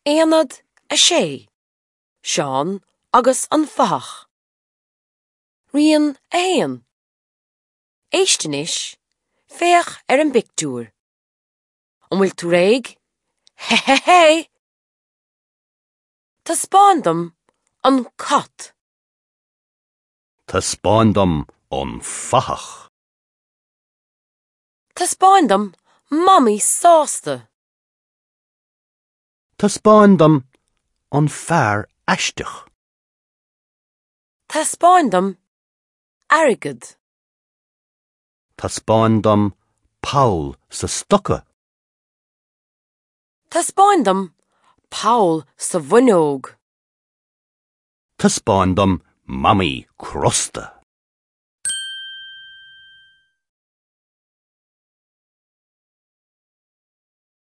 Aonad 6, Seán agus an Fathach. Rian 1. Éist anois, féach ar an bpictiúr. An bhfuil tú réidh? Hé hé hé! Taispeáin dom an cat. Taispeáin dom an fathach. Taispeáin dom Mamaí sásta. Taispeáin dom an fear aisteach. Taispeáin dom airgead. Taispeáin dom poll sa stoca. Taispeáin dom poll sa bhfuinneog. Taispeáin dom Mamaí crosta.